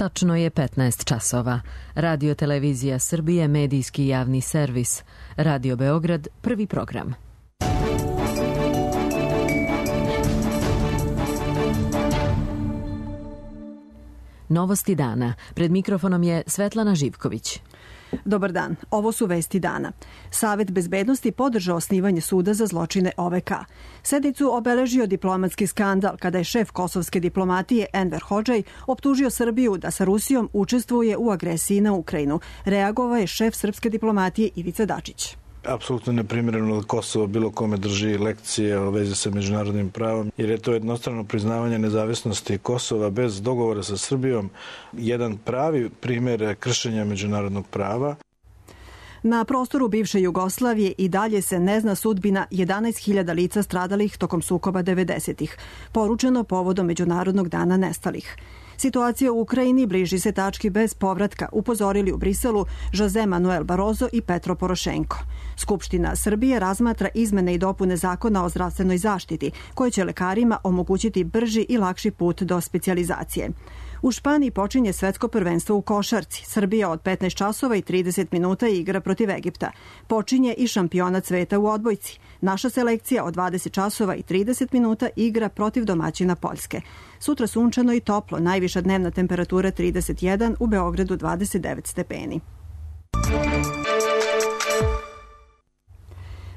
Tačno je 15 časova. Radio Televizija Srbije, medijski javni servis. Radio Beograd, prvi program. Novosti dana. Pred mikrofonom je Svetlana Živković. Dobar dan, ovo su vesti dana. Savet bezbednosti podržao osnivanje suda za zločine OVK. Sednicu obeležio diplomatski skandal kada je šef kosovske diplomatije Enver Hodžaj optužio Srbiju da sa Rusijom učestvuje u agresiji na Ukrajinu. Reagovao je šef srpske diplomatije Ivica Dačić. Apsolutno neprimjereno da Kosovo bilo kome drži lekcije o vezi sa međunarodnim pravom, jer je to jednostrano priznavanje nezavisnosti Kosova bez dogovora sa Srbijom jedan pravi primjer kršenja međunarodnog prava. Na prostoru bivše Jugoslavije i dalje se ne zna sudbina 11.000 lica stradalih tokom sukoba 90-ih, poručeno povodom Međunarodnog dana nestalih. Situacija u Ukrajini bliži se tački bez povratka, upozorili u Briselu Jose Manuel Barroso i Petro Porošenko. Skupština Srbije razmatra izmene i dopune zakona o zdravstvenoj zaštiti, koje će lekarima omogućiti brži i lakši put do specijalizacije. U Španiji počinje svetsko prvenstvo u košarci. Srbija od 15 časova i 30 minuta igra protiv Egipta. Počinje i šampionat sveta u odbojci. Naša selekcija od 20 časova i 30 minuta igra protiv domaćina Poljske. Sutra sunčano i toplo, najviša dnevna temperatura 31, u Beogradu 29 stepeni.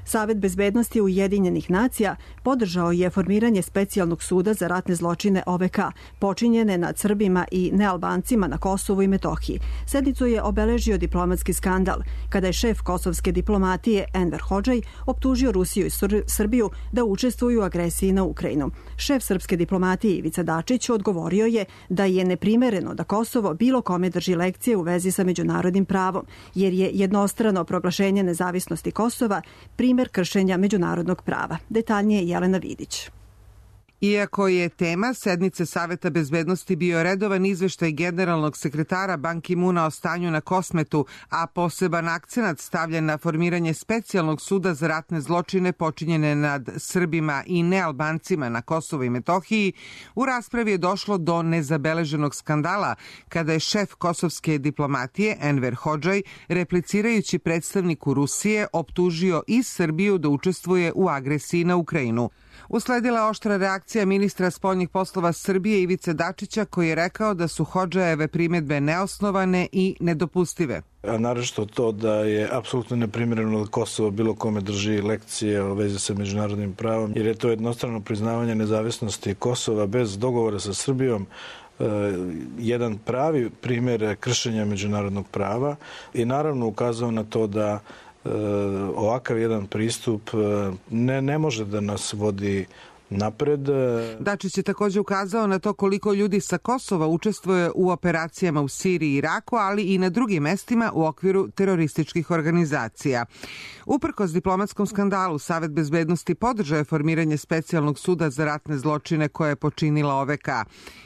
Savet bezbednosti Ujedinjenih nacija podržao je formiranje specijalnog suda za ratne zločine OVK, počinjene nad Srbima i nealbancima na Kosovu i Metohiji. Sednicu je obeležio diplomatski skandal, kada je šef kosovske diplomatije Enver Hodžaj optužio Rusiju i Srbiju da učestvuju u agresiji na Ukrajinu. Šef srpske diplomatije Ivica Dačić odgovorio je da je neprimereno da Kosovo bilo kome drži lekcije u vezi sa međunarodnim pravom, jer je jednostrano proglašenje nezavisnosti Kosova primjer kršenja međunarodnog prava. Detaljnije Jelena Vidić. Iako je tema sednice Saveta bezbednosti bio redovan izveštaj generalnog sekretara Ban Ki-muna o stanju na Kosmetu, a poseban akcenat stavljen na formiranje specijalnog suda za ratne zločine počinjene nad Srbima i nealbancima na Kosovu i Metohiji, u raspravi je došlo do nezabeleženog skandala kada je šef kosovske diplomatije Enver Hodžaj, replicirajući predstavniku Rusije, optužio i Srbiju da učestvuje u agresiji na Ukrajinu. Usledila oštra reakcija ministra spoljnih poslova Srbije Ivice Dačića, koji je rekao da su Hodžajeve primjedbe neosnovane i nedopustive. A naročito to da je apsolutno neprimjereno da Kosovo bilo kome drži lekcije o vezi sa međunarodnim pravom, jer je to jednostrano priznavanje nezavisnosti Kosova bez dogovora sa Srbijom jedan pravi primjer kršenja međunarodnog prava i naravno ukazao na to da ovakav jedan pristup ne može da nas vodi napred. Dačić je također ukazao na to koliko ljudi sa Kosova učestvuje u operacijama u Siriji i Iraku, ali i na drugim mestima u okviru terorističkih organizacija. Uprkos diplomatskom skandalu, Savet bezbednosti podržao je formiranje specijalnog suda za ratne zločine koje je počinila OVK.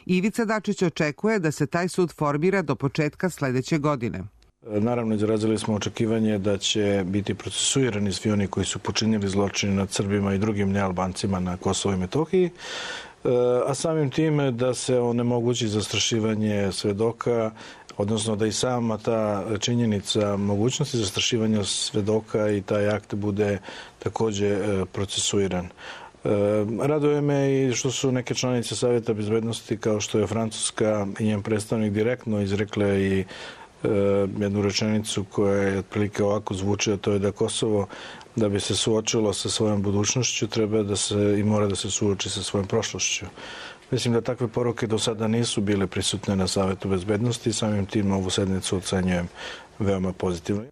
Ivica Dačić očekuje da se taj sud formira do početka sledeće godine. Naravno, izrazili smo očekivanje da će biti procesuirani svi oni koji su počinili zločine nad Srbima i drugim nealbancima na Kosovu i Metohiji, a samim tim da se onemogući zastrašivanje svedoka, odnosno da i sama ta činjenica mogućnosti zastrašivanja svedoka i taj akt bude također procesuiran. Raduje me i što su neke članice Savjeta bezbednosti, kao što je Francuska i njen predstavnik, direktno izrekle i jednu rečenicu koja je otprilike ovako zvuči, a to je da Kosovo, da bi se suočilo sa svojom budućnošću, treba da se i mora da se suoči sa svojom prošlošću. Mislim da takve poruke do sada nisu bile prisutne na Savetu bezbednosti i samim tim ovu sednicu ocenjujem veoma pozitivno.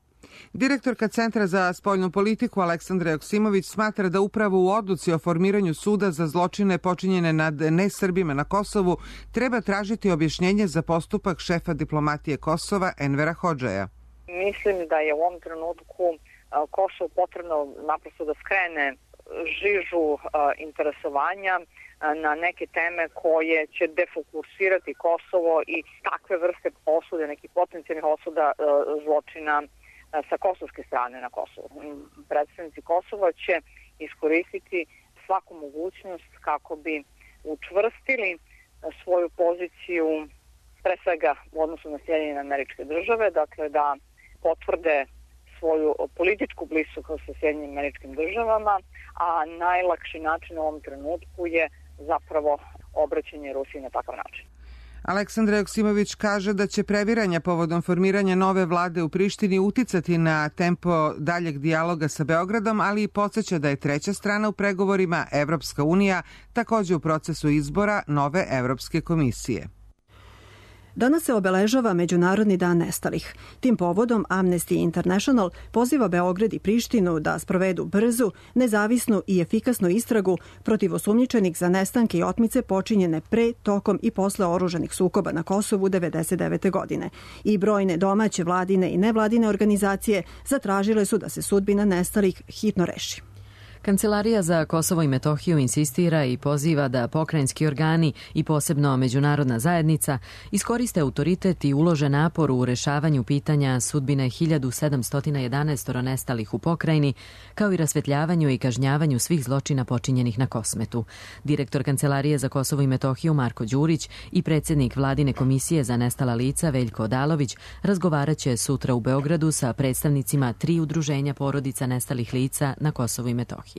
Direktorka Centra za spoljnu politiku Aleksandra Joksimović smatra da upravo u odluci o formiranju suda za zločine počinjene nad nesrbima na Kosovu treba tražiti objašnjenje za postupak šefa diplomatije Kosova Envera Hodžaja. Mislim da je u ovom trenutku Kosovo potrebno naprosto da skrene žižu interesovanja na neke teme koje će defokusirati Kosovo i takve vrste osude, nekih potencijalnih osuda zločina sa kosovske strane na Kosovu. Predstavnici Kosova će iskoristiti svaku mogućnost kako bi učvrstili svoju poziciju pre svega u odnosu na Sjedinjene Američke Države, dakle da potvrde svoju političku bliskost sa Sjedinjenim Američkim Državama, a najlakši način u ovom trenutku je zapravo obraćanje Rusiji na takav način. Aleksandra Joksimović kaže da će previranja povodom formiranja nove vlade u Prištini uticati na tempo daljeg dijaloga sa Beogradom, ali i podsjeća da je treća strana u pregovorima, Evropska unija, takođe u procesu izbora nove Evropske komisije. Danas se obeležava Međunarodni dan nestalih. Tim povodom Amnesty International poziva Beograd i Prištinu da sprovedu brzu, nezavisnu i efikasnu istragu protiv osumnjičenih za nestanke i otmice počinjene pre, tokom i posle oružanih sukoba na Kosovu 1999. godine. I brojne domaće, vladine i nevladine organizacije zatražile su da se sudbina nestalih hitno reši. Kancelarija za Kosovo i Metohiju insistira i poziva da pokrajinski organi i posebno međunarodna zajednica iskoriste autoritet i ulože napor u rešavanju pitanja sudbine 1711 nestalih u pokrajini, kao i rasvetljavanju i kažnjavanju svih zločina počinjenih na Kosmetu. Direktor Kancelarije za Kosovo i Metohiju Marko Đurić i predsjednik Vladine komisije za nestala lica Veljko Odalović razgovaraće sutra u Beogradu sa predstavnicima 3 udruženja porodica nestalih lica na Kosovu i Metohiji.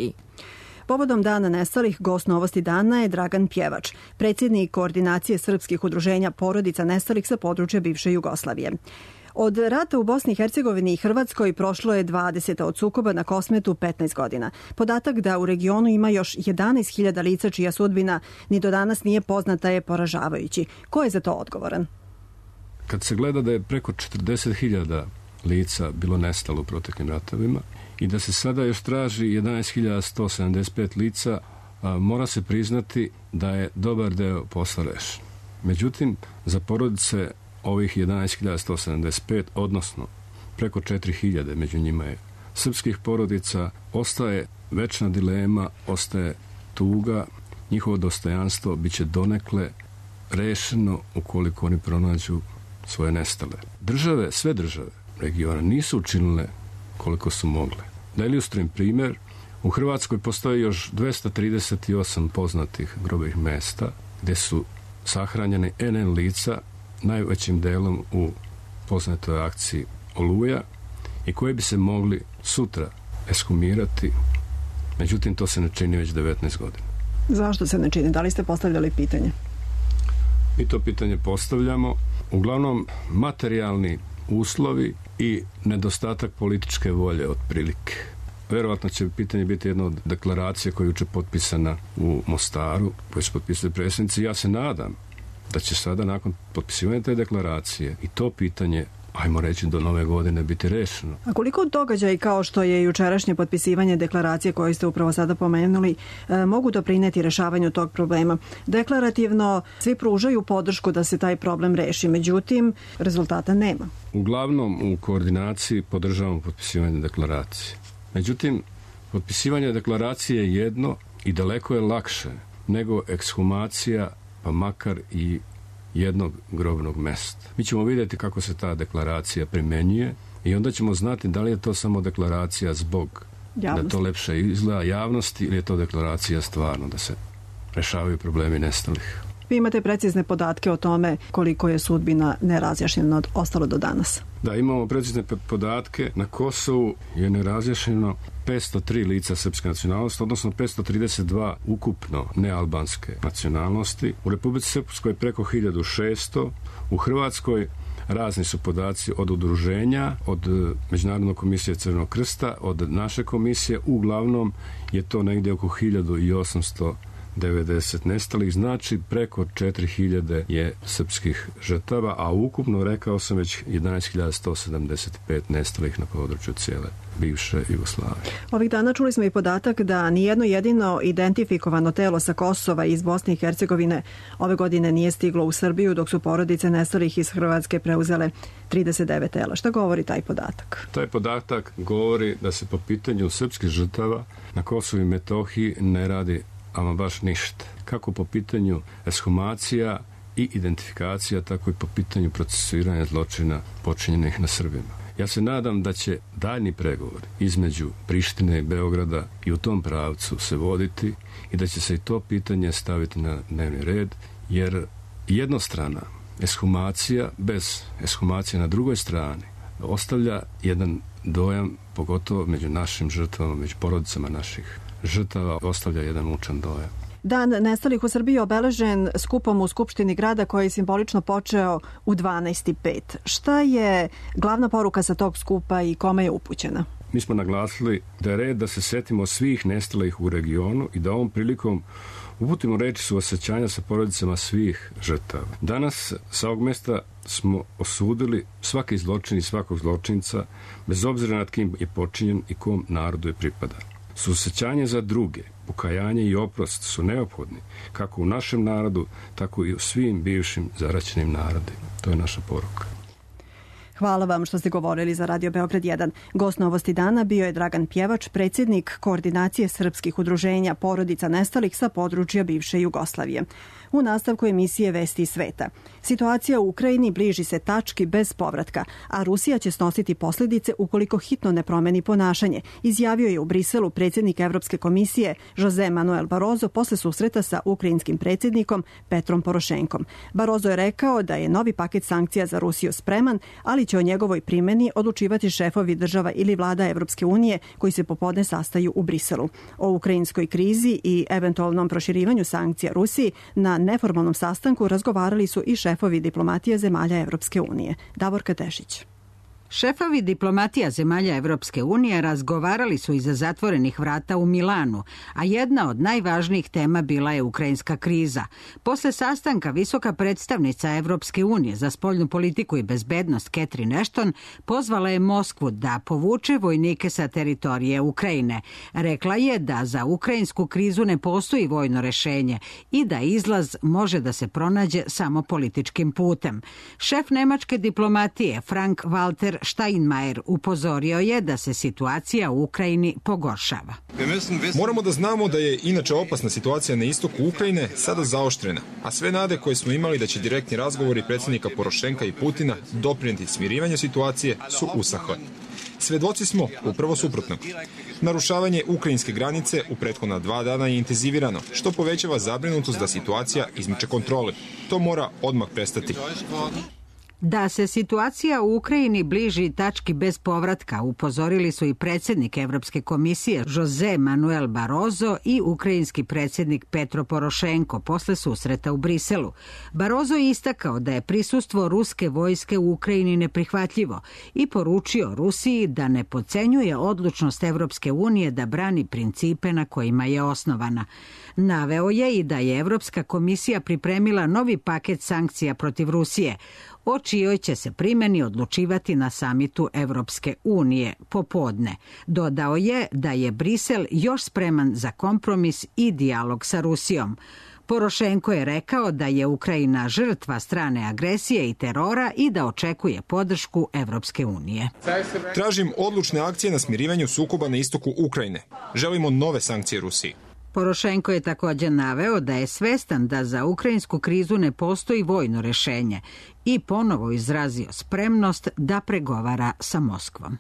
Povodom Dana nestalih, gost Novosti dana je Dragan Pjevač, predsjednik Koordinacije srpskih udruženja porodica nestalih sa područja bivše Jugoslavije. Od rata u Bosni i Hercegovini i Hrvatskoj prošlo je 20, od sukoba na Kosmetu 15 godina. Podatak da u regionu ima još 11.000 lica čija sudbina ni do danas nije poznata je poražavajući. Ko je za to odgovoran? Kad se gleda da je preko 40.000 lica bilo nestalo u proteklim ratovima i da se sada još traži 11.175 lica, mora se priznati da je dobar deo posla rešen. Međutim, za porodice ovih 11.175, odnosno preko 4.000, među njima je srpskih porodica, ostaje večna dilema, ostaje tuga, njihovo dostojanstvo biće donekle rešeno ukoliko oni pronađu svoje nestale. Države, sve države regiona nisu učinile koliko su mogle. Da ilustrujem primjer, u Hrvatskoj postoji još 238 poznatih grobnih mesta gdje su sahranjene NN lica, najvećim delom u poznatoj akciji Oluja, i koje bi se mogli sutra ekshumirati, međutim to se ne čini već 19 godina. Zašto se ne čini? Da li ste postavljali pitanje? Mi to pitanje postavljamo. Uglavnom, materijalni uslovi i nedostatak političke volje otprilike. Verovatno će pitanje biti jedno od deklaracije koja je juče potpisana u Mostaru, koju su potpisali predsjednici. Ja se nadam da će sada nakon potpisivanja te deklaracije i to pitanje, ajmo reći, do nove godine biti rešeno. A koliko događaj kao što je jučerašnje potpisivanje deklaracije koju ste upravo sada pomenuli mogu doprineti rešavanju tog problema? Deklarativno svi pružaju podršku da se taj problem reši, međutim rezultata nema. Uglavnom u koordinaciji podržavamo potpisivanje deklaracije. Međutim, potpisivanje deklaracije je jedno i daleko je lakše nego ekshumacija, pa makar i jednog grobnog mesta. Mi ćemo vidjeti kako se ta deklaracija primenjuje i onda ćemo znati da li je to samo deklaracija zbog javnosti, da to lepše izgleda javnosti, ili je to deklaracija stvarno da se rešavaju problemi nestalih. Vi imate precizne podatke o tome koliko je sudbina nerazjašnjena ostalo do danas? Da, imamo precizne podatke. Na Kosovu je nerazjašnjeno 503 lica srpske nacionalnosti, odnosno 532 ukupno nealbanske nacionalnosti. U Republici Srpskoj preko 1600, u Hrvatskoj razni su podaci od udruženja, od Međunarodne komisije Crvenog krsta, od naše komisije. Uglavnom je to negdje oko 1890 nestalih, znači preko 4.000 je srpskih žrtava, a ukupno, rekao sam već, 11.175 nestalih na području cijele bivše Jugoslavije. Ovih dana čuli smo i podatak da nijedno jedino identifikovano telo sa Kosova iz Bosne i Hercegovine ove godine nije stiglo u Srbiju, dok su porodice nestalih iz Hrvatske preuzele 39 tela. Šta govori taj podatak? Taj podatak govori da se po pitanju srpskih žrtava na Kosovu i Metohiji ne radi ama baš ništa. Kako po pitanju ekshumacija i identifikacija, tako i po pitanju procesuiranja zločina počinjenih na Srbima. Ja se nadam da će daljni pregovori između Prištine i Beograda i u tom pravcu se voditi i da će se i to pitanje staviti na dnevni red, jer jednostrana Eshumacija bez eshumacije na drugoj strani ostavlja jedan dojam, pogotovo među našim žrtvama, među porodicama naših žrtava, ostavlja jedan mučan dojam. Dan nestalih u Srbiji obeležen skupom u Skupštini grada koji je simbolično počeo u 12:05. Šta je glavna poruka sa tog skupa i kome je upućena? Mi smo naglasili da je red da se setimo svih nestalih u regionu i da ovom prilikom uputimo reči suosjećanja sa porodicama svih žrtava. Danas sa ovog mesta smo osudili svaki zločin i svakog zločinca, bez obzira nad kim je počinjen i kom narodu je pripada. Suosjećanje za druge, pokajanje i oprost su neophodni, kako u našem narodu, tako i u svim bivšim zaraćenim narodima. To je naša poruka. Hvala vam što ste govorili za Radio Beograd 1. Gost Novosti dana bio je Dragan Pjevač, predsjednik Koordinacije srpskih udruženja porodica nestalih sa područja bivše Jugoslavije. U nastavku emisije Vesti iz sveta. Situacija u Ukrajini bliži se tački bez povratka, a Rusija će snositi posljedice ukoliko hitno ne promeni ponašanje, izjavio je u Briselu predsjednik Evropske komisije Jose Manuel Barroso posle susreta sa ukrajinskim predsjednikom Petrom Porošenkom. Barroso je rekao da je novi paket sankcija za Rusiju spreman, ali će o njegovoj primjeni odlučivati šefovi država ili vlada Evropske unije koji se popodne sastaju u Briselu. O ukrajinskoj krizi i eventualnom proširivanju sankcija Rusiji na neformalnom sastanku razgovarali su i šefovi diplomatije zemalja Evropske unije. Davorka Tešić. Šefovi diplomatija zemalja Evropske unije razgovarali su iza zatvorenih vrata u Milanu, a jedna od najvažnijih tema bila je ukrajinska kriza. Posle sastanka visoka predstavnica Evropske unije za spoljnu politiku i bezbednost Catherine Ashton pozvala je Moskvu da povuče vojnike sa teritorije Ukrajine. Rekla je da za ukrajinsku krizu ne postoji vojno rešenje i da izlaz može da se pronađe samo političkim putem. Šef nemačke diplomatije Frank Walter Steinmeier upozorio je da se situacija u Ukrajini pogoršava. Moramo da znamo da je inače opasna situacija na istoku Ukrajine sada zaoštrena, a sve nade koje smo imali da će direktni razgovori predsjednika Porošenka i Putina doprinijeti smirivanju situacije su usahle. Svedoci smo upravo suprotnog. Narušavanje ukrajinske granice u prethodna 2 dana je intenzivirano, što povećava zabrinutost da situacija izmiče kontrole. To mora odmah prestati. Da se situacija u Ukrajini bliži tački bez povratka, upozorili su i predsjednik Evropske komisije Jose Manuel Barroso i ukrajinski predsjednik Petro Porošenko posle susreta u Briselu. Barroso je istakao da je prisustvo ruske vojske u Ukrajini neprihvatljivo i poručio Rusiji da ne podcenjuje odlučnost Evropske unije da brani principe na kojima je osnovana. Naveo je i da je Evropska komisija pripremila novi paket sankcija protiv Rusije, o čijoj će se primjeni odlučivati na samitu Evropske unije popodne. Dodao je da je Brisel još spreman za kompromis i dijalog sa Rusijom. Porošenko je rekao da je Ukrajina žrtva strane agresije i terora i da očekuje podršku Evropske unije. Tražim odlučne akcije na smirivanju sukoba na istoku Ukrajine. Želimo nove sankcije Rusiji. Porošenko je također naveo da je svestan da za ukrajinsku krizu ne postoji vojno rešenje i ponovo izrazio spremnost da pregovara sa Moskvom.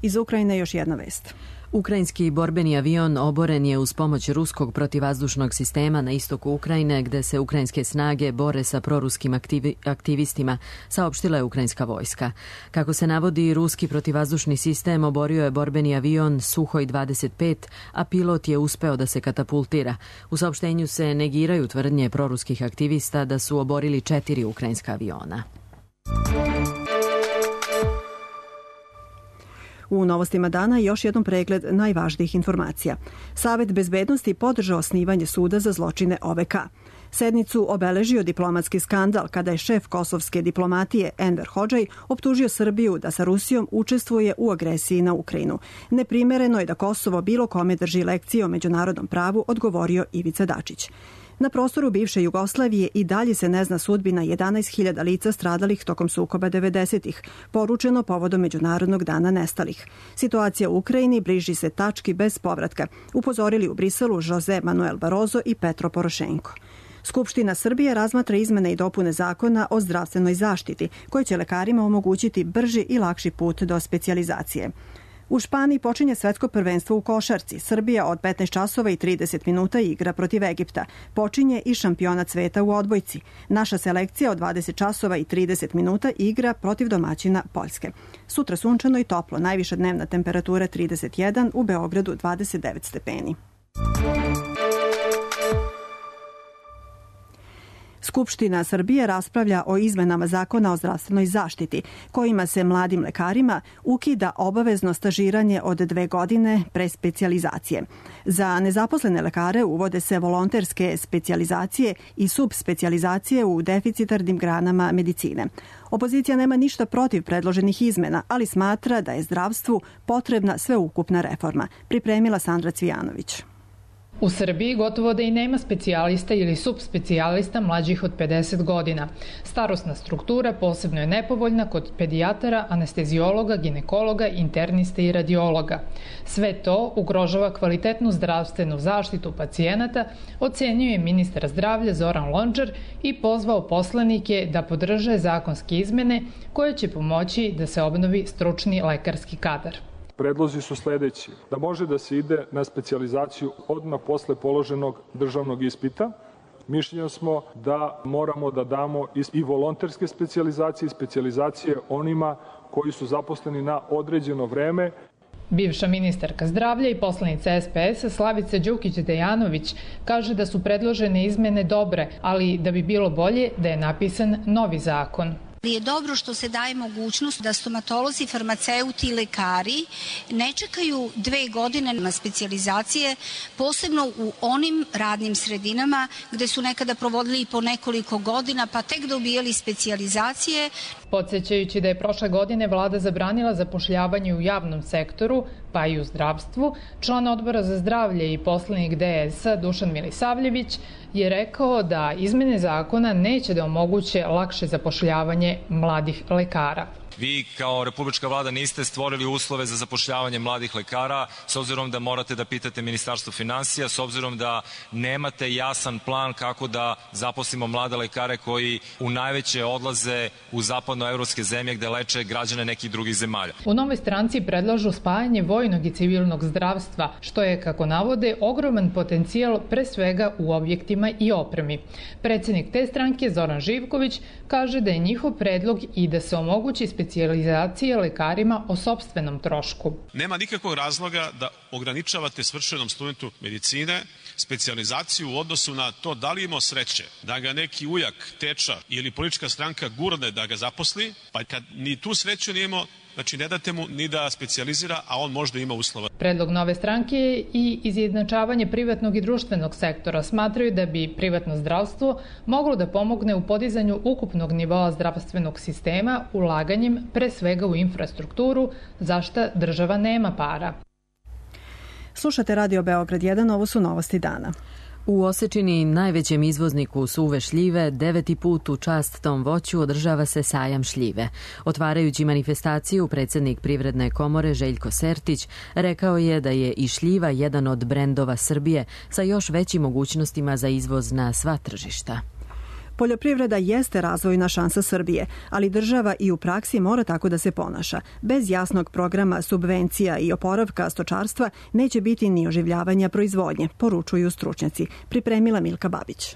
Iz Ukrajine još jedna vest. Ukrajinski borbeni avion oboren je uz pomoć ruskog protivvazdušnog sistema na istoku Ukrajine, gde se ukrajinske snage bore sa proruskim aktivistima, saopštila je ukrajinska vojska. Kako se navodi, ruski protivvazdušni sistem oborio je borbeni avion Suhoj 25, a pilot je uspeo da se katapultira. U saopštenju se negiraju tvrdnje proruskih aktivista da su oborili 4 ukrajinska aviona. U novostima dana još jedan pregled najvažnijih informacija. Savet bezbednosti podržao osnivanje suda za zločine OVK. Sednicu obeležio diplomatski skandal kada je šef kosovske diplomatije Enver Hodžaj optužio Srbiju da sa Rusijom učestvuje u agresiji na Ukrajinu. Neprimereno je da Kosovo bilo kome drži lekcije o međunarodnom pravu, odgovorio Ivica Dačić. Na prostoru bivše Jugoslavije i dalje se ne zna sudbina 11.000 lica stradalih tokom sukoba 90-ih, poručeno povodom Međunarodnog dana nestalih. Situacija u Ukrajini bliži se tački bez povratka, upozorili u Briselu Jose Manuel Barroso i Petro Porošenko. Skupština Srbije razmatra izmene i dopune zakona o zdravstvenoj zaštiti, koje će lekarima omogućiti brži i lakši put do specijalizacije. U Španiji počinje svetsko prvenstvo u košarci. Srbija od 15 časova i 30 minuta igra protiv Egipta. Počinje i šampionat sveta u odbojci. Naša selekcija od 20 časova i 30 minuta igra protiv domaćina Poljske. Sutra sunčano i toplo, najviša dnevna temperatura 31, u Beogradu 29 stepeni. Skupština Srbije raspravlja o izmenama Zakona o zdravstvenoj zaštiti, kojima se mladim lekarima ukida obavezno stažiranje od 2 godine pre specijalizacije. Za nezaposlene lekare uvode se volonterske specijalizacije i subspecijalizacije u deficitarnim granama medicine. Opozicija nema ništa protiv predloženih izmena, ali smatra da je zdravstvu potrebna sveukupna reforma. Pripremila Sandra Cvijanović. U Srbiji gotovo da i nema specijalista ili subspecijalista mlađih od 50 godina. Starosna struktura posebno je nepovoljna kod pedijatara, anestezijologa, ginekologa, interniste i radiologa. Sve to ugrožava kvalitetnu zdravstvenu zaštitu pacijenata, ocenjuje ministar zdravlja Zoran Lončar i pozvao poslanike da podrže zakonske izmene koje će pomoći da se obnovi stručni lekarski kadar. Predlozi su sledeći, da može da se ide na specijalizaciju odmah posle položenog državnog ispita. Mišljenja smo da moramo da damo i volonterske specijalizacije i specijalizacije onima koji su zaposleni na određeno vreme. Bivša ministarka zdravlja i poslanica SPS-a Slavica Đukić-Dejanović kaže da su predložene izmene dobre, ali da bi bilo bolje da je napisan novi zakon. Je dobro što se daje mogućnost da stomatolozi, farmaceuti i lekari ne čekaju 2 godine na specijalizacije, posebno u onim radnim sredinama gde su nekada provodili po nekoliko godina pa tek dobijali specijalizacije. Podsećajući da je prošle godine vlada zabranila zapošljavanje u javnom sektoru, pa i u zdravstvu, član Odbora za zdravlje i poslanik DS-a Dušan Milisavljević je rekao da izmene zakona neće da omoguće lakše zapošljavanje mladih lekara. Vi kao republička vlada niste stvorili uslove za zapošljavanje mladih lekara, s obzirom da morate da pitate Ministarstvo finansija, s obzirom da nemate jasan plan kako da zaposlimo mlade lekare koji u najveće odlaze u zapadnoevropske zemlje gde leče građane nekih drugih zemalja. U Novoj stranci predlažu spajanje vojnog i civilnog zdravstva, što je, kako navode, ogroman potencijal pre svega u objektima i opremi. Predsednik te stranke, Zoran Živković, kaže da je njihov predlog i da se omogući specijalizacije lekarima o sopstvenom trošku. Nema nikakvog razloga da ograničavate svršenom studentu medicine specijalizaciju u odnosu na to da li imao sreće da ga neki ujak, teča ili politička stranka gurne da ga zaposli, pa kad ni tu sreću nije imao, znači ne date mu ni da specijalizira, a on možda ima uslova. Predlog Nove stranke je i izjednačavanje privatnog i društvenog sektora. Smatraju da bi privatno zdravstvo moglo da pomogne u podizanju ukupnog nivoa zdravstvenog sistema ulaganjem pre svega u infrastrukturu, za šta država nema para. Slušate Radio Beograd 1, ovo su novosti dana. U Osečini, najvećem izvozniku suve šljive, 9. put u čast tom voću održava se sajam šljive. Otvarajući manifestaciju, predsednik Privredne komore Željko Sertić rekao je da je i šljiva jedan od brendova Srbije sa još većim mogućnostima za izvoz na sva tržišta. Poljoprivreda jeste razvojna šansa Srbije, ali država i u praksi mora tako da se ponaša. Bez jasnog programa subvencija i oporavka stočarstva neće biti ni oživljavanja proizvodnje, poručuju stručnjaci. Pripremila Milka Babić.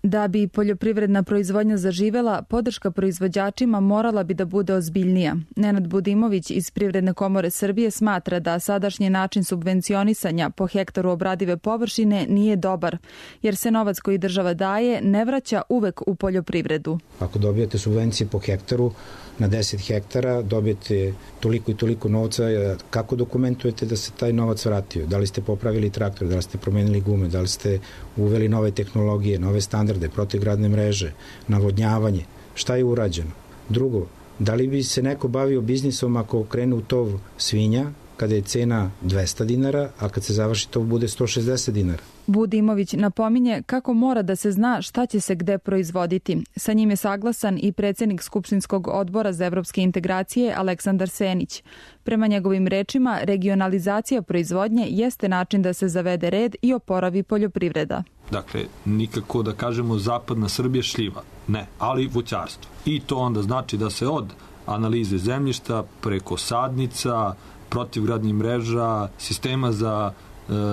Da bi poljoprivredna proizvodnja zaživela, podrška proizvođačima morala bi da bude ozbiljnija. Nenad Budimović iz Privredne komore Srbije smatra da sadašnji način subvencionisanja po hektaru obradive površine nije dobar, jer se novac koji država daje ne vraća uvek u poljoprivredu. Ako dobijete subvencije po hektaru, na 10 hektara dobijete toliko i toliko novca, kako dokumentujete da se taj novac vratio? Da li ste popravili traktor, da li ste promenili gume, da li ste uveli nove tehnologije, nove standarde, protivgradne mreže, navodnjavanje? Šta je urađeno? Drugo, da li bi se neko bavio biznisom ako krene u tov svinja, kada je cena 200 dinara, a kad se završi tov bude 160 dinara? Budimović napominje kako mora da se zna šta će se gde proizvoditi. Sa njim je saglasan i predsednik Skupštinskog odbora za evropske integracije Aleksandar Senić. Prema njegovim rečima, regionalizacija proizvodnje jeste način da se zavede red i oporavi poljoprivreda. Dakle, nikako da kažemo zapadna Srbija šljiva, ne, ali voćarstvo. I to onda znači da se od analize zemljišta preko sadnica, protivgradnih mreža, sistema za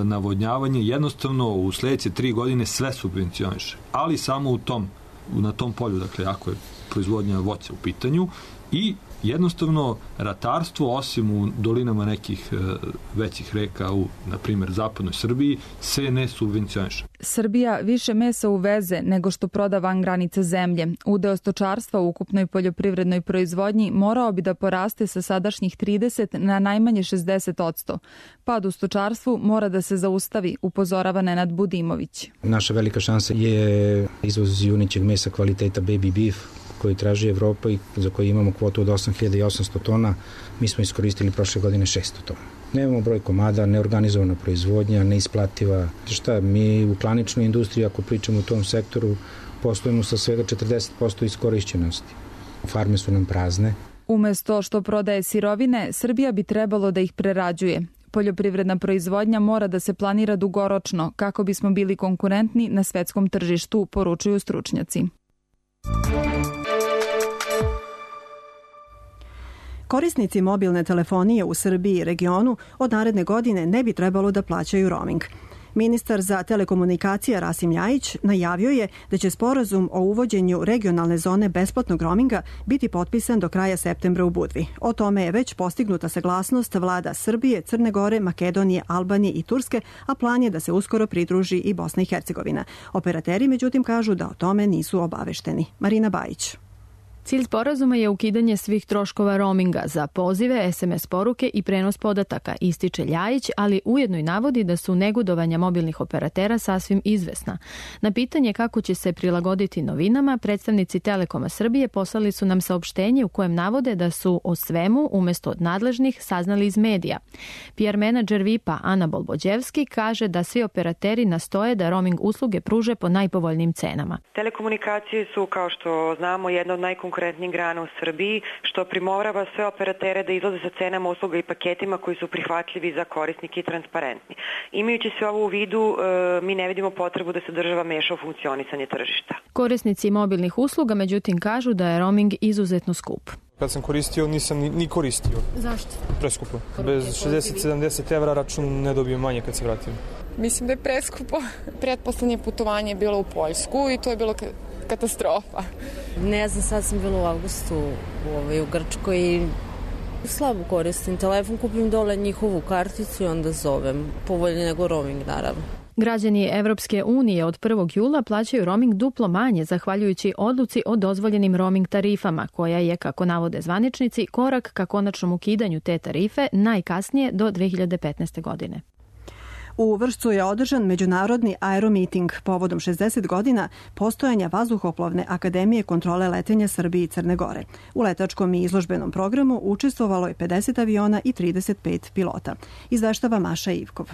navodnjavanje, jednostavno u sledeće 3 godine sve subvencioniše. Ali samo na tom polju, dakle, ako je proizvodnja voća u pitanju, i jednostavno ratarstvo, osim u dolinama nekih većih reka u, na primjer, zapadnoj Srbiji, se ne subvencioniše. Srbija više mesa uveze nego što proda van granice zemlje. Udeo stočarstva u ukupnoj poljoprivrednoj proizvodnji morao bi da poraste sa sadašnjih 30 na najmanje 60%. Pad u stočarstvu mora da se zaustavi, upozorava Nenad Budimović. Naša velika šansa je izvoz junećeg mesa kvaliteta baby beef, koji traži Evropa i za koji imamo kvotu od 8800 tona, mi smo iskoristili prošle godine 600 tona. Nemamo broj komada, neorganizovana proizvodnja, neisplativa. Šta, mi u klaničnoj industriji, ako pričamo u tom sektoru, poslujemo sa svega 40% iskorišćenosti. Farme su nam prazne. Umesto što prodaje sirovine, Srbija bi trebalo da ih prerađuje. Poljoprivredna proizvodnja mora da se planira dugoročno kako bismo bili konkurentni na svetskom tržištu, poručuju stručnjaci. Korisnici mobilne telefonije u Srbiji i regionu od naredne godine ne bi trebalo da plaćaju roaming. Ministar za telekomunikacije Rasim Ljajić najavio je da će sporazum o uvođenju regionalne zone besplatnog roaminga biti potpisan do kraja septembra u Budvi. O tome je već postignuta saglasnost vlada Srbije, Crne Gore, Makedonije, Albanije i Turske, a plan je da se uskoro pridruži i Bosna i Hercegovina. Operateri, međutim, kažu da o tome nisu obavešteni. Marina Bajić. Cilj sporazuma je ukidanje svih troškova roaminga za pozive, SMS poruke i prenos podataka, ističe Ljajić, ali ujedno i navodi da su negodovanja mobilnih operatera sasvim izvesna. Na pitanje kako će se prilagoditi novinama, predstavnici Telekoma Srbije poslali su nam saopštenje u kojem navode da su o svemu, umesto od nadležnih, saznali iz medija. PR menadžer VIP-a Ana Bolbođevski kaže da svi operateri nastoje da roaming usluge pruže po najpovoljnijim cenama. Telekomunikacije su, kao što znamo, jedna od najkonkurentnijih grana u Srbiji, što primorava sve operatere da izlaze sa cenama usluga i paketima koji su prihvatljivi za korisnike i transparentni. Imajući sve ovo u vidu, mi ne vidimo potrebu da se država meša u funkcionisanje tržišta. Korisnici mobilnih usluga, međutim, kažu da je roaming izuzetno skup. Kad sam koristio, nisam ni koristio. Zašto? Preskupo. Bez 60-70 evra račun ne dobijem manje kad se vratim. Mislim da je preskupo. Pretposlednje putovanje je bilo u Poljsku i to je bilo katastrofa. Ne znam, sad sam bila u avgustu u Grčkoj i slabo koristim telefon, kupim dole njihovu karticu i onda zovem. Povoljnije nego roaming, naravno. Građani Evropske unije od 1. jula plaćaju roaming duplo manje, zahvaljujući odluci o dozvoljenim roaming tarifama, koja je, kako navode zvaničnici, korak ka konačnom ukidanju te tarife najkasnije do 2015. godine. U Vršcu je održan međunarodni aeromiting povodom 60 godina postojanja Vazduhoplovne akademije kontrole letenja Srbije i Crne Gore. U letačkom i izložbenom programu učestvovalo je 50 aviona i 35 pilota. Izveštava Maša Ivkov.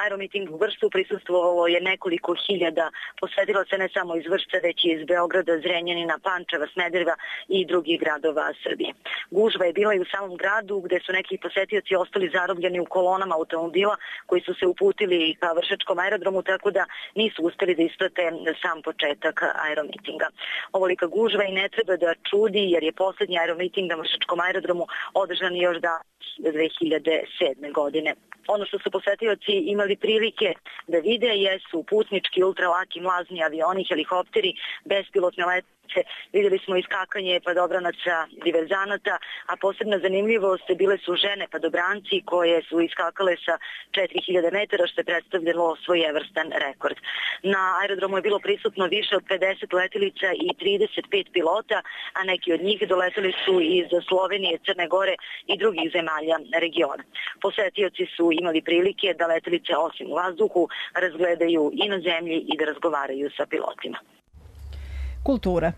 Aeromiting u Vršcu prisustvovalo je nekoliko hiljada posvetilaca ne samo iz Vršca, već i iz Beograda, Zrenjanina, Pančeva, Smedereva i drugih gradova Srbije. Gužva je bila i u samom gradu, gde su neki posetioci ostali zarobljeni u kolonama automobila koji su se uputili ka Vršačkom aerodromu, tako da nisu uspeli da isprate sam početak aeromitinga. Ovolika gužva i ne treba da čudi, jer je poslednji aeromiting na Vršačkom aerodromu održan još da 2007. godine. Ono što su posetioci imali prilike da vide jesu putnički, ultralaki, mlazni avioni, helikopteri, bespilotne letelice. Videli smo iskakanje padobranaca diverzanata, a posebna zanimljivost bile su žene padobranci koje su iskakale sa 4000 metara, što je predstavljalo svojevrstan rekord. Na aerodromu je bilo prisutno više od 50 letelica i 35 pilota, a neki od njih doleteli su iz Slovenije, Crne Gore i drugih zemalja regiona. Posetioci su imali prilike da letelice osim u vazduhu razgledaju i na zemlji i da razgovaraju sa pilotima. Kultura.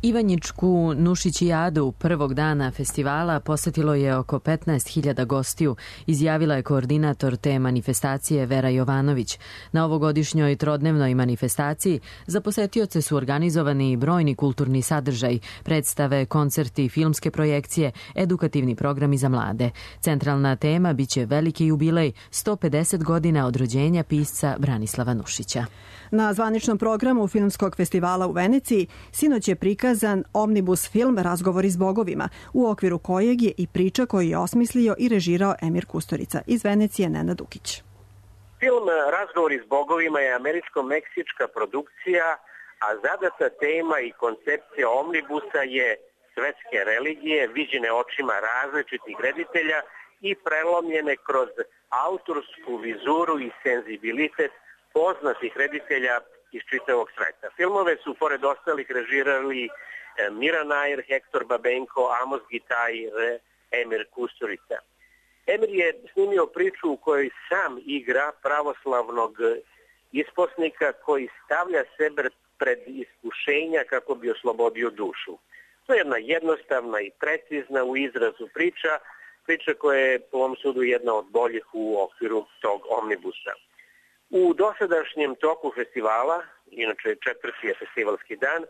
Ivanjičku Nušićijadu prvog dana festivala posetilo je oko 15.000 gostiju, izjavila je koordinator te manifestacije Vera Jovanović. Na ovogodišnjoj trodnevnoj manifestaciji za posetioce su organizovani brojni kulturni sadržaj, predstave, koncerti, filmske projekcije, edukativni programi za mlade. Centralna tema biće veliki jubilej 150 godina od rođenja pisca Branislava Nušića. Na zvaničnom programu Filmskog festivala u Veneciji sinoć je prikaz prikazan omnibus film Razgovori s bogovima, u okviru kojeg je i priča koju je osmislio i režirao Emir Kusturica. Iz Venecije Nenad Dukić. Film Razgovori s bogovima je američko-meksička produkcija, a zadata tema i koncepcija omnibusa je svetske religije, viđene očima različitih reditelja i prelomljene kroz autorsku vizuru i senzibilitet poznatih reditelja iz čitavog sveta. Filmove su, pored ostalih, režirali Mira Nair, Hector Babenko, Amos Gitajr, Emir Kusturica. Emir je snimio priču u kojoj sam igra pravoslavnog isposnika koji stavlja sebe pred iskušenja kako bi oslobodio dušu. To je jedna jednostavna i precizna u izrazu priča koja je po ovom sudu jedna od boljih u okviru tog omnibusa. U dosadašnjem toku festivala, inače četvrti je festivalski dan,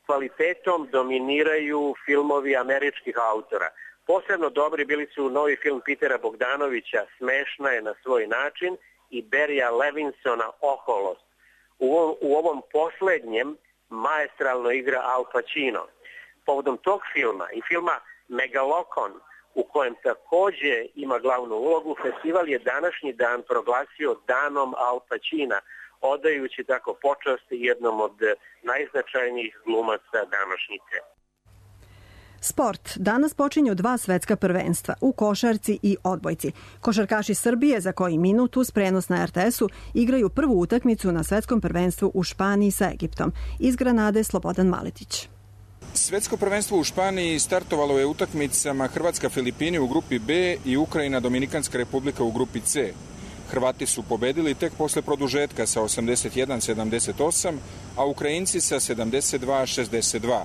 kvalitetom dominiraju filmovi američkih autora. Posebno dobri bili su novi film Petera Bogdanovića Smešna je na svoj način i Barrya Levinsona Oholost. U ovom poslednjem maestralno igra Al Pacino. Povodom tog filma i filma Megalokon, u kojem takođe ima glavnu ulogu, festival je današnji dan proglasio danom Al Pacina, odajući tako počast jednom od najznačajnijih glumaca današnjice. Sport. Danas počinju 2 svetska prvenstva u košarci i odbojci. Košarkaši Srbije za koji minut uz prenos na RTS-u igraju prvu utakmicu na svetskom prvenstvu u Španiji sa Egiptom. Iz Granade Slobodan Maletić. Svetsko prvenstvo u Španiji startovalo je utakmicama Hrvatska-Filipini u grupi B i Ukrajina-Dominikanska republika u grupi C. Hrvati su pobedili tek posle produžetka sa 81-78, a Ukrajinci sa 72-62.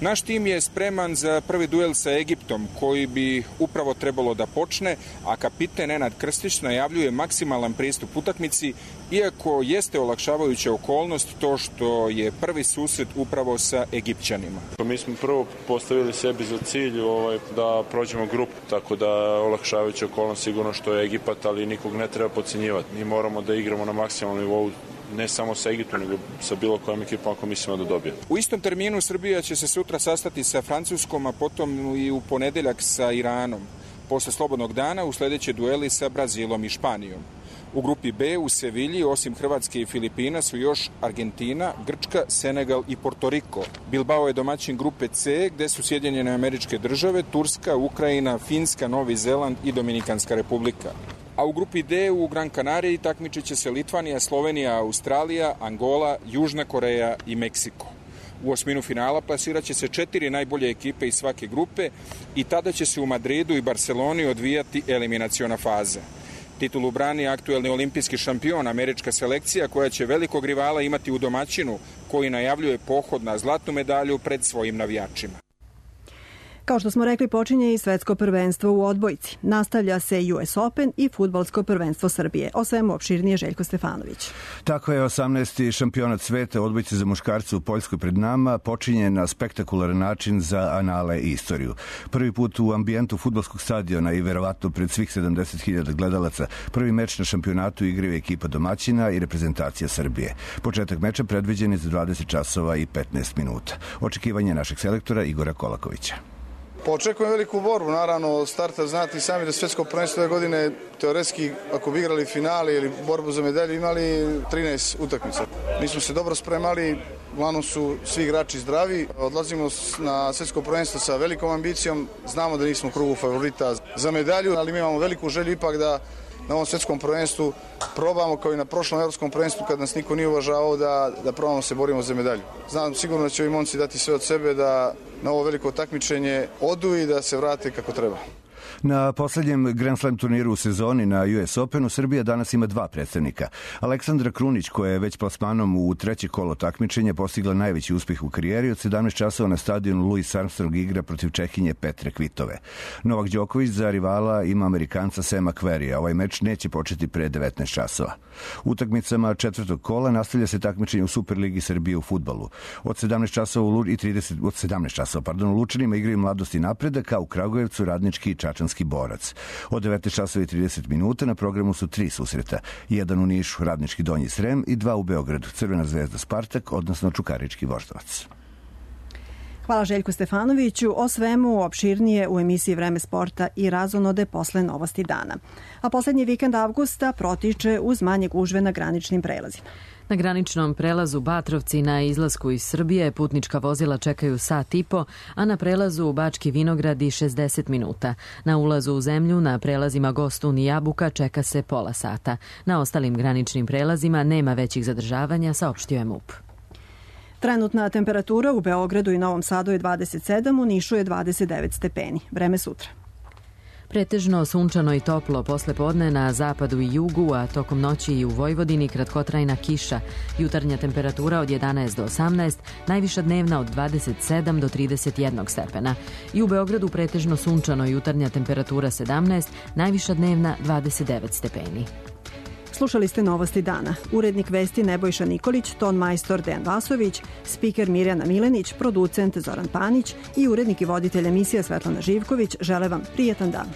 Naš tim je spreman za prvi duel sa Egiptom, koji bi upravo trebalo da počne, a kapiten Nenad Krstić najavljuje maksimalan pristup utakmici, iako jeste olakšavajuća okolnost to što je prvi susret upravo sa Egipćanima. Mi smo prvo postavili sebi za cilj da prođemo grupu, tako da olakšavajuća okolnost sigurno što je Egipat, ali nikog ne treba podcenjivati. Mi moramo da igramo na maksimalnom nivou, ne samo sa Egiptom, nego sa bilo kojom ekipom ako mislimo da dobije. U istom terminu Srbija će se sutra sastati sa Francuskom, a potom i u ponedeljak sa Iranom. Posle slobodnog dana usledeće dueli sa Brazilom i Španijom. U grupi B u Sevilji, osim Hrvatske i Filipina, su još Argentina, Grčka, Senegal i Portoriko. Bilbao je domaćin grupe C, gde su Sjedinjene Američke Države, Turska, Ukrajina, Finska, Novi Zeland i Dominikanska republika. A u grupi D u Gran Canariji takmičit će se Litvanija, Slovenija, Australija, Angola, Južna Koreja i Meksiko. U osminu finala plasirat će se 4 najbolje ekipe iz svake grupe i tada će se u Madridu i Barceloni odvijati eliminaciona faza. Titulu brani aktuelni olimpijski šampion, američka selekcija, koja će velikog rivala imati u domaćinu, koji najavljuje pohod na zlatnu medalju pred svojim navijačima. Kao što smo rekli, počinje i svetsko prvenstvo u odbojci. Nastavlja se US Open i fudbalsko prvenstvo Srbije. O svemu opširnije Željko Stefanović. Tako je 18. šampionat sveta odbojci za muškarce u Poljskoj pred nama počinje na spektakularan način za anale i istoriju. Prvi put u ambijentu fudbalskog stadiona i verovatno pred svih 70.000 gledalaca prvi meč na šampionatu igraju ekipa domaćina i reprezentacija Srbije. Početak meča predviđen je za 20 časova i 15 minuta. Očekivanje našeg selektora Igora Kolakovića. Očekujem veliku borbu, naravno od starta znati sami da svetsko prvenstvo ove godine teoretski ako bi igrali finale ili borbu za medalju imali 13 utakmica. Mi smo se dobro spremali, uglavnom su svi igrači zdravi, odlazimo na svetsko prvenstvo sa velikom ambicijom, znamo da nismo u krugu favorita za medalju, ali mi imamo veliku želju ipak da na ovom svetskom prvenstvu probamo kao i na prošlom evropskom prvenstvu kad nas niko nije uvažavao da probamo se borimo za medalju. Znam sigurno da će ovi momci dati sve od sebe da na ovo veliko takmičenje odu i da se vrate kako treba. Na poslednjem Grand Slam turniru u sezoni na US Openu Srbija danas ima 2 predstavnika. Aleksandra Krunić, koja je već plasmanom u treće kolo takmičenja postigla najveći uspeh u karijeri, od 17 časova na stadionu Louis Armstrong igra protiv Čehinje Petre Kvitove. Novak Đoković za rivala ima Amerikanca Sema Querrya. Ovaj meč neće početi pre 19 časova. Utakmicama četvrtog kola nastavlja se takmičenje u Superligi Srbije u fudbalu. Od 17 časova u Lučanima igraju Mladost i Napredak, a u Kragujevcu Radnički i Čačanski Borac. Od 19 časova i 30 minuta na programu su 3 susreta. Jedan u Nišu, Radnički Donji Srem, i 2 u Beogradu, Crvena zvezda Spartak, odnosno Čukarički Voždovac. Hvala Željku Stefanoviću. O svemu opširnije u emisiji Vreme sporta i razonode posle novosti dana. A poslednji vikend avgusta protiče uz manje gužve na graničnim prelazima. Na graničnom prelazu Batrovci na izlasku iz Srbije putnička vozila čekaju sat i po, a na prelazu u Bački Vinogradi 60 minuta. Na ulazu u zemlju na prelazima Gostun i Jabuka čeka se pola sata. Na ostalim graničnim prelazima nema većih zadržavanja, saopštio je MUP. Trenutna temperatura u Beogradu i Novom Sadu je 27, u Nišu je 29 stepeni. Vreme sutra. Pretežno sunčano i toplo posle podne na zapadu i jugu, a tokom noći i u Vojvodini kratkotrajna kiša. Jutarnja temperatura od 11 do 18, najviša dnevna od 27 do 31 stepena. I u Beogradu pretežno sunčano, jutarnja temperatura 17, najviša dnevna 29 stepeni. Slušali ste novosti dana. Urednik vesti Nebojša Nikolić, ton majstor Dejan Vasović, spiker Mirjana Milenić, producent Zoran Panić i urednik i voditelj emisija Svetlana Živković žele vam prijetan dan.